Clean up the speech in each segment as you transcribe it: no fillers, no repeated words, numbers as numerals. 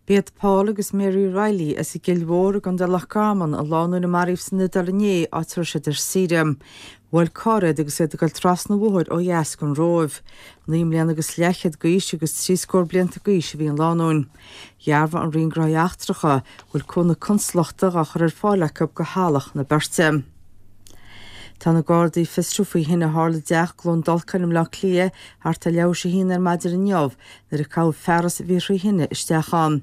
B'iad Paul agus Mary Reilly as an gCill Mhór i gContae Loch Garman an lánúin a maraíodh san Iodáil inné, áit a raibh siad ar saoire. Bhuail carr iad agus iad ag dul trasna an bhóthair ó dheas den Róimh. 9 mbliana agus leathchéad d'aois agus 3 scór blianta d'aois a bhí an lánúin. Dhearbhaigh an Roinn Gnóthaí Eachtracha go bhfuil cúnamh consalachta dhá chur ar fáil acu do theaghlach na beirte. Tá na Gardaí ag fiosrú faoi thine a tharla i dteach i gCluain Dolcáin i mBleá Cliath thart ar leathuair tar éis a haon ar maidin inniu nuair a caitheadh fearas a bhí thrí thine isteach ann.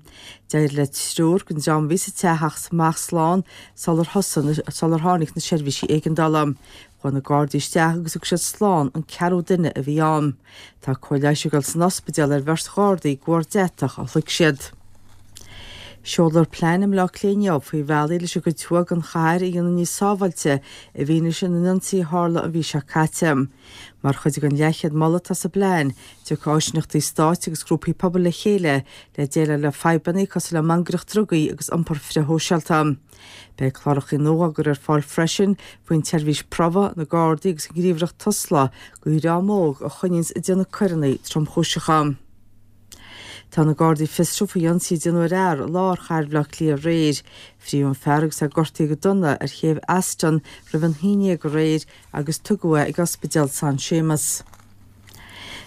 D'éirigh le triúr den dream a bhí sa teach theacht amach slán sular thosaigh sular tháinig na seirbhísí éigeandála. Chuaigh na Gardaí isteach agus thug siad slán an ceathrú duine a bhí ann. Tá cóir leighis ag dul san ospidéal ar bheirt Ghardaí de bharr deatach a shloig siad. Seolfar plean i mBleá Cliath inniu faoi bhealaí leis an gcuid thuaidh den chathair a dhéanamh níos sábháilte i bhfianaise na n-ionsaí a tharla an mhí seo caite. Mar chuid den leathchéad moladh atá sa bplean, tiocfaidh áisíneachtaí stáit agus grúpaí pobail le chéile le déileáil le fadhbanna cosúil le mangaireacht drugaí agus iompar frithshóisialta. Beidh cláracha nua á gcur ar fáil freisin faoin tseirbhís Promhaidh, na Gardaí agus an ghníomhaireacht Tusla do dhream óg a choinníonns ag déanamh coireanna tromchúiseacha. Tá na Gardaí ag fiosrú faoi ionsaí a déanadh ar fhear i lár chathair Bhaile Átha Cliath aréir. Frítheadh an fear agus é gortaithe go dona ar chéibh Aston roimh an haon dhéag aréir agus tugadh é ag Ospidéal San Séamas.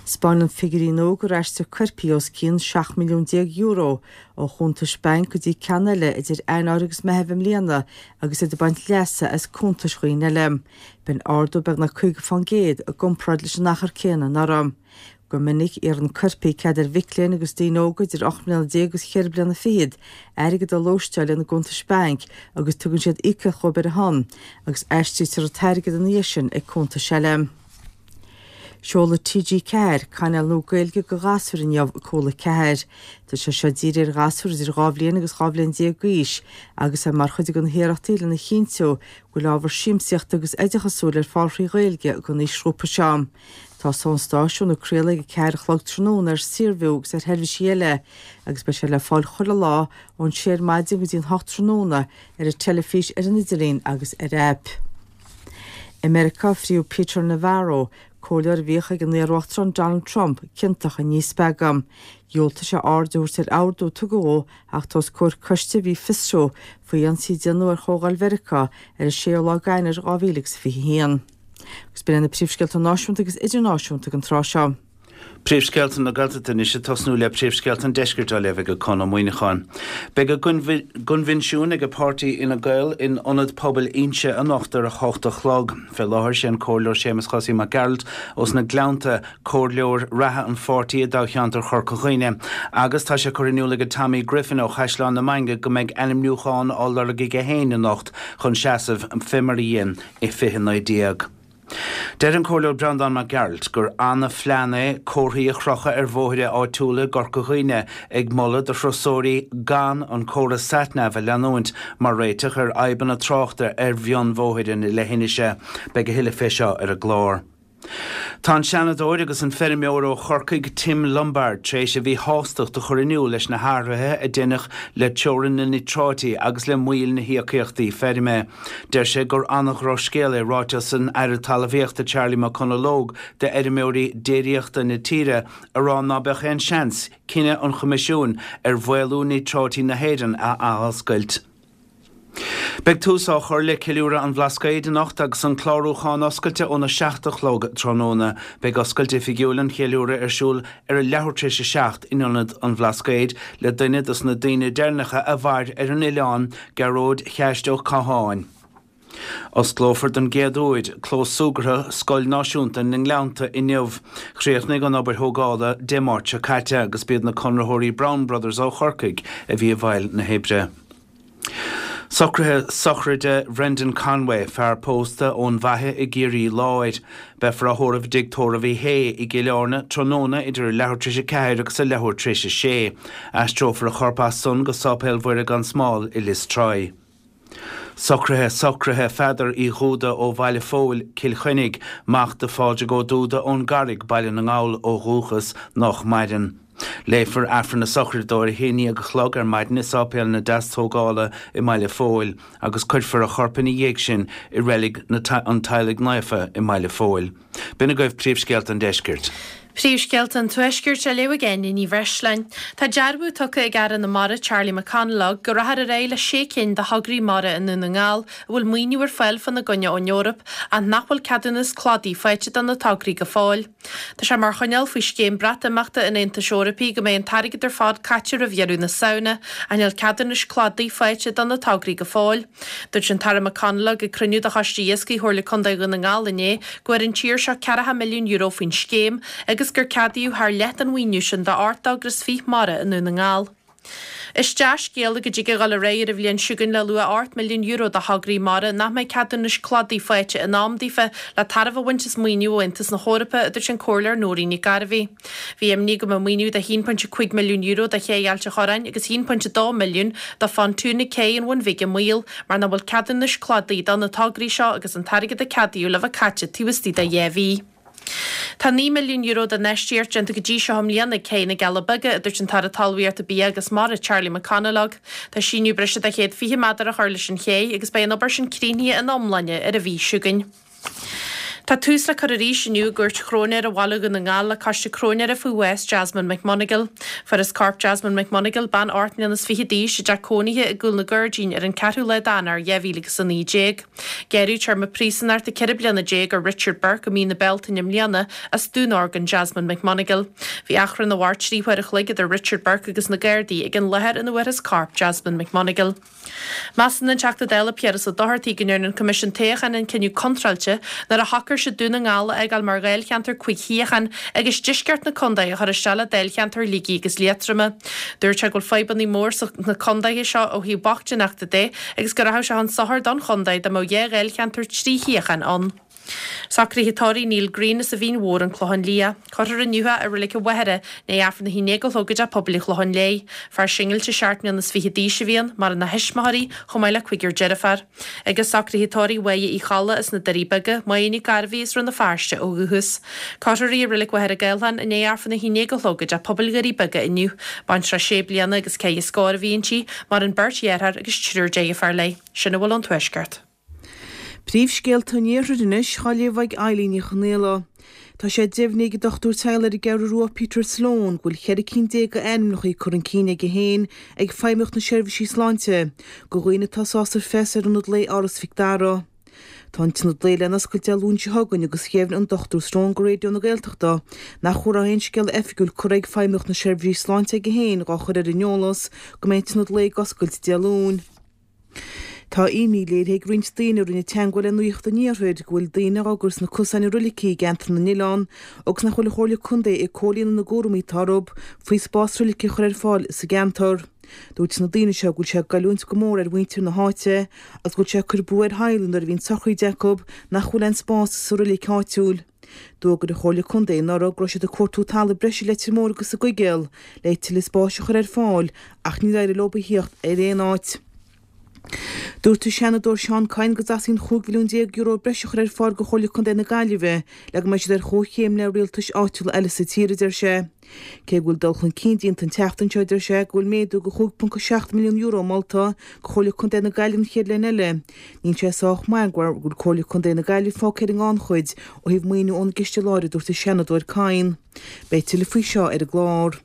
'Spáineann figiúirí nua gur aistrigh coirpigh os cionn €17 milliún ó chuntais bainc go dtí ceann eile idir Eanáir agus Meitheamh i mbliana agus iad ag baint leasa as cuntais dhaoine eile. B'in ardú beagnach 50% i gcomparáid leis an achar céanna anuraidh. Go minic, iarrann coirpigh cead ar mhic léinn agus daoine óga idir 18 mbliana agus cheithre bliana fichead airgead a lóisteáil ina gcuntais bainc agus tugann siad íocaíocht dhóibh ar a shon, agus aistrítear an t-airgead ina dhiaidh sin ag cuntais eile. Seolfaidh TG4 cainéal nua Gaeilge do ghasúir inniu ag Cúla 4. Tá sé seo dírithe ar ghasúir idir 2 bhliain agus 12 bhliain d'aois agus é mar chuid de na hiarrachtaí lena chinntiú go bhfuil ábhar siamsaíochta agus oideachasúil ar fáil thrí Ghaeilge don aoisghrúpa seo. Tosóidh an stáisiún ag craoladh ag a 4 a chlog tráthnóna ar Saorview agus ar sheirbhísí eile agus beidh sé le fáil chuile lá ón 6 ar maidin go dtí an 8 tráthnóna ar an teilifís, ar an idirlíon agus ar aip. I Meiriceá, fríodh Peter Navarro, comhairleoir a bhíodh ag an iar-uachtarán Donald Trump, ciontach i ndíspeagadh. Dhiúltaigh sé aird a thabhairt ar ordú a tugadh dó theacht os comhair coiste a bhí ag fiosrú faoi ionsaí a déanadh ar Chomhdháil Mheiriceá ar an 6ú lá d'Eanáir 2021. Agus b'in iad na príomhscéalta náisiúnta agus idirnáisiúnta ag an tráth seo. Príomhscéalta na Gaeltachta anois ag tosnú le príomhscéalta an Deiscirt á léamh ag Conn Ó Muíneacháin. Beidh a gcoinbhinsiún ag páirtí Fhine Gael in Ionad Pobail Inse anocht ar a hocht a chlog. Fé láthair sé an Comhairleoir Séamus Chosaí Mac Gearailt ós na Gleannta comhairleoir reatha an pháirtí i dtoghcheantar Chorca Dhuibhne agus tá sé curtha in iúl ag Tommy Griffin ó Chaisleán na Mainge go mbeidh ainmniúchán á lorg aige féin anocht chun seasamh fé mar a dhein i 2019. Deir an Comhairleoir Breandán Mac Gearailt gur ana-phlean é comharthaí a chrochadh ar bhóithre áitiúla i gCorca Dhuibhne ag moladh do thurasóirí gan an córas SatNav a leanúint mar réiteach ar fhadhbanna tráchta ar mhionbhóithre na leithinise. Beidh a thuilleadh fé seo ar an gclár. Tá an Seanadóir agus an feirmeoir ó Chorcaigh Tim Lombard tar éis a mhíshástacht a chur in iúl leis na hathruithe a deineadh le teorainn na níotráití agus le moill na híocaíochtaí feirme. Deir sé gur an-dhrochscéal é ráiteas an Aire Talmhaíochta Charlie McConalogue d'fheirmeoirí déiríochta na tíre a rá ná beadh aon seans cinneadh an Choimisiúin ar mhaolú níotráití na hÉireann a athoscailt. Beidh tús á chur le Ceiliúradh an Bhlascaoid anocht agus an clárúchán oscailte óna 7 a chlog tráthnóna. Beidh oscailt oifigiúil an cheiliúraidh ar siúl ar a leathuair tar éis a 7 in Ionad an Bhlascaoid le duine dos na daoine deireanacha a mhair ar an oileán, Gearóid Cheaist Ó Catháin. Osclófar don gcéad uair clós súgartha Scoil Náisiúnta na nGleannta inniu. Chríochnaigh an obair thógála Dé Máirt seo caite agus b'iad na conraitheoirí Brown Brothers ó Chorcaigh a bhí i bhfeighil na hoibre. Socruithe sochraide Bhrendan Conway, fear pósta ón bhFaiche i gCiarraí Láir. Beifear á thórramh i dTigh Tórraimh Uí Shé i gCill Airne tráthnóna idir a leathuair tar éis a ceathair agus a leathuair tar éis a sé. Aistreofar a chorp as san go Sáipéal Mhuire gan Smál i Lios Tuathail. Socruithe Socruithe Pheadair Uí Dhúda ó Bhaile Phóil, Cill Chainnigh, mac do Phádraig Ó Dúda ón gCarraig, Baile na nGall ó dhúchas, nách maireann. Léifear Aifreann na sochraide dó ar a haon dhéag a chlog ar maidin i Sáipéal na Deastógála i mBaile Phóil agus cuirfear a chorp ina dhiaidh sin i Reilig an Teaghlaigh Naofa i mBaile Phóil. B'in agaibh príomhscéalta an deiscirt. Príomhscéalta an Tuaiscirt á léamh ag Áine Ní Bhreisleáin. Tá dearbhú tugtha ag Aire na Mara Charlie McConalogue go rachfar ar aghaidh le sé cinn de thograí mara i nDún na nGall a bhfuil maoiniú ar fáil fána gcoinne ón Eoraip ach nach bhfuil ceadúnas cladaigh faighte do na tograí go fóill. Tá sé mar choinníoll faoi scéim Breatimeachta an Aontais Eorpaigh go mbeidh an t-airgead ar fad caite roimh dheireadh na Samhna ach níl ceadúnais cladaigh faighte do na tograí go fóill. Dúirt an tAire McConalogue ag cruinniú de Choiste Iascaigh Chomhairle Contae Dhún na nGall inné go bhfuair an tír seo ceathracha milliún euro faoin scéim agus gur ceadaíodh thar leath den mhaoiniú sin d'ocht dtogra is fiche mara i nDún na nGall. Is dea-scéala go dtig a dhul ar aghaidh ar an bhliain seo chugainn le luach €8 milliún do thograí mara nach mbeidh ceadúnais cladaigh faighte in am daofa le tairbhe a bhaint as maoiniú ó Aontas na hEorpa, a dúirt an Comhairleoir Nóirín Nic Gairbheith. Bhí imní go mbeadh maoiniú de €1.5 milliún do Ché Ailt an Chorráin agus €1.2 milliún do phontún ag Cé an Bhun Bhig i mbaol mar nach bhfuil ceadúnais cladaigh do na tograí seo agus an t-airgead a ceadaíodh le bheith caite taobh istigh de dheich mhí. Tá €9 milliún d'infheistíocht déanta go dtí seo i mbliana ag Cé na gCealla Beaga, a dúirt an tAire Talmhaíochta, Bia agus Mara, Charlie McConalogue. Tá síneadh breise de 120 méadar á chur leis an ché agus beidh an obair sin críochnaithe ina iomláine ar an mhí seo chugainn. Tá tús le cur arís inniu i gCúirt Chróinéara Bhaile Dhún na nGall le cóiste cróinéara faoi bhás Jasmine McMonagle. Fuarthas corp Jasmine McMonagle, bean 28 mbliana d'aois, i dteach cónaithe i gCúl na Gairdín ar an 4ú lá d'Eanáir 2019. Gearradh téarma príosúnachta 14 bliana ar Richard Burke i mí na Bealtaine i mbliana as dúnorgain Jasmine McMonagle. Bhí achrann a mhair 3 huair a chloig idir Richard Burke agus na Gardaí ag an láthair ina bhfuarthas corp Jasmine McMonagle. Measann an Teachta Dála Piaras Ó Dochartaigh go ndearna an Coimisiún Toghcháin an cinneadh contráilte nuair a shocair siad Dún na nGall a fhágáil mar dháilcheantar 5 shuíochán agus deisceart na contae a chur isteach le dáilcheantar Shligigh agus Liatroma. Dúirt sé go bhfuil fadhbanna mór sna contaetha seo ó thaobh bochtaineachta de agus go rachadh sé chun sochair don chontae dá mbeadh 2 dháilcheantar 3 shuíochán ann. Socruithe tórraimh Neil Greene as an Mhín Mhór, An Clochán Liath. Cuirfear inniu é i Reilig an Mhachaire, i ndiaidh Aifreann a haon déag a chlog i dTeach Pobail an Chlocháin Léith. Fear singilte 17 mbliana is fiche d'aois a bhí ann, maireann a thuismitheoirí, chomh maith le cúigear deirféar. Agus socruithe tórraimh Mháire Uí Cholla as na Doirí Beaga, Máire Nic Gairbhí as Rann na Feirste ó dhúchas. Cuirfear í i Reilig Mhachaire Gathlán i ndiaidh Aifreann a haon déag a chlog i dTeach Pobail Dhoirí Beaga inniu. Baintreach sé bliana agus ceithre scór a bhí inti, maireann beirt dheartháir agus triúr deirféar léi. Sin a bhfuil ón Tuaisceart. Príomhscéalta an Iarthair anois á léamh ag Eilín Ní Chonaola. Tá sé deimhnithe ag an dochtúir teaghlaigh ar an gCeathrú Rua Peter Sloane go bhfuil 14 cinn d'ainmneacha curtha chun cinn aige féin ag Feidhmeannacht na Seirbhísí Sláinte do dhaoine atá sásta freastal ar ionad lae Áras Mhic Dara. Tá an t-ionad lae le n-oscailt Dé Luain seo chugainn agus dheimhnigh an Dr Sloane go Raidió na Gaeltachta nach raibh aon scéala oifigiúil curtha ag Feidhmeannacht na Seirbhísí Sláinte aige féin dhá chur ar an eolas go mbeidh an t-ionad lae ag oscailt Dé Luain. Tá imní léirithe ag roinnt daoine a rinne teagmháil le Nuacht an Iarthair go bhfuil daoine á gcur sna cosáin i roilicí i gceantar na nOileán agus nach bhfuil an Chomhairle Contae ag comhlíonadh na gcúraimí atá orthu faoi spás roilice a chur ar fáil sa gceantar. Dúirt na daoine seo go bhfuil sé ag goilliúint go mór ar mhuintir na háite agus go bhfuil sé ag cur brú ar theaghlaigh nuair a bhíonn sochraíd acu nach bhfuil aon spás sa roilic áitiúil. D'fhógair an Chomhairle Contae anuraidh go raibh siad ag cuartú talamh breise i Leitir Móir agus sa gCoigéal le tuilleadh spáis a chur ar fáil ach níor éirigh leo a thíocht ar aon áit. Dúirt an Seanadóir Seán Kyne go dteastaíonn €15 mhilliún breise a chur ar fáil do Chomhairle Contae na Gaillimhe le go mbeidh siad ar chomhchéim le rialtais áitiúla eile sa tír, a deir sé. Cé go bhfuil dul chun cinn déanta an tseachtain seo, deir sé go bhfuil méadú de €5.7 milliún molta do Chomhairle Contae na Gaillimhe an chéad bhliain eile. Níl sé sách maith go bhfuil Comhairle Contae na Gaillimhe fágtha ar an ngannchuid ó thaobh maoiniú ón gciste láir, a dúirt an Seanadóir Kyne. Beidh tuilleadh faoi seo ar an gclár.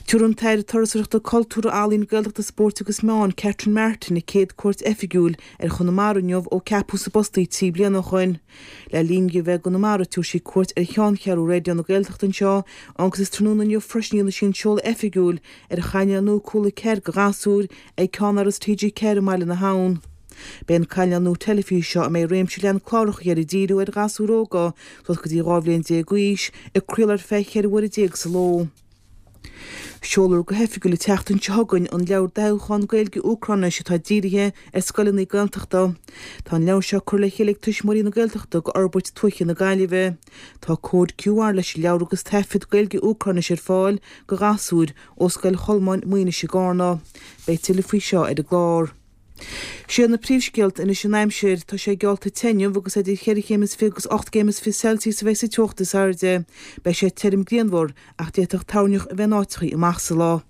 Tabharfaidh an tAire Turasóireachta, Cultúrtha, Ealaíon, Gaeltachta, Spóirt agus Meán, Catherine Martin, a céad cuairt oifigiúil ar Chonamara inniu ó ceapadh sa bpost í 3 bliana ó shoin. Le linn di a bheith i gConamara tabharfaidh sí cuairt ar cheanncheathrú Raidió na Gaeltachta anseo agus is tráthnóna inniu freisin a dhéanfaidh sí an seoladh oifigiúil ar chainéal nua Cúla 4 do ghasúir ag Ceannáras TG4 i mBaile na hAbhann. Beidh an cainéal nua teilifíse seo, a mbeidh réimse leathan cláracha air ag díriú ar ghasúir óga suas go dtí 12 bhliain d'aois, ag craoladh ar feadh 14 uaire sa ló. Seolfar go hoifigiúil an tseachtain seo chugainn an leabhar dathúcháin Gaeilge-Úcráinis atá dírithe ar scoileanna Gaeltachta. Tá an leabhar seo curtha le chéile ag Tuismitheoirí na Gaeltachta do Fhorbairt Tuaithe na Gaillimhe. Tá cód QR leis an leabhar agus taifead Gaeilge-Úcráinis ar fáil do ghasúir ó Scoil Cholmáin, Maínis i gCarna. Beidh tuilleadh faoi seo ar an gclár. Siad na príomhscéalta anois an aimsir. Tá sé geallta te inniu agus idir cheithre chéim is fiche agus 8 gcéim is fiche Celsius a bheidh sa teocht is airde. Beidh sé tirim grianmhar ach d'fhéadfadh toirneach a bheith in áiteachaí amach sa lá.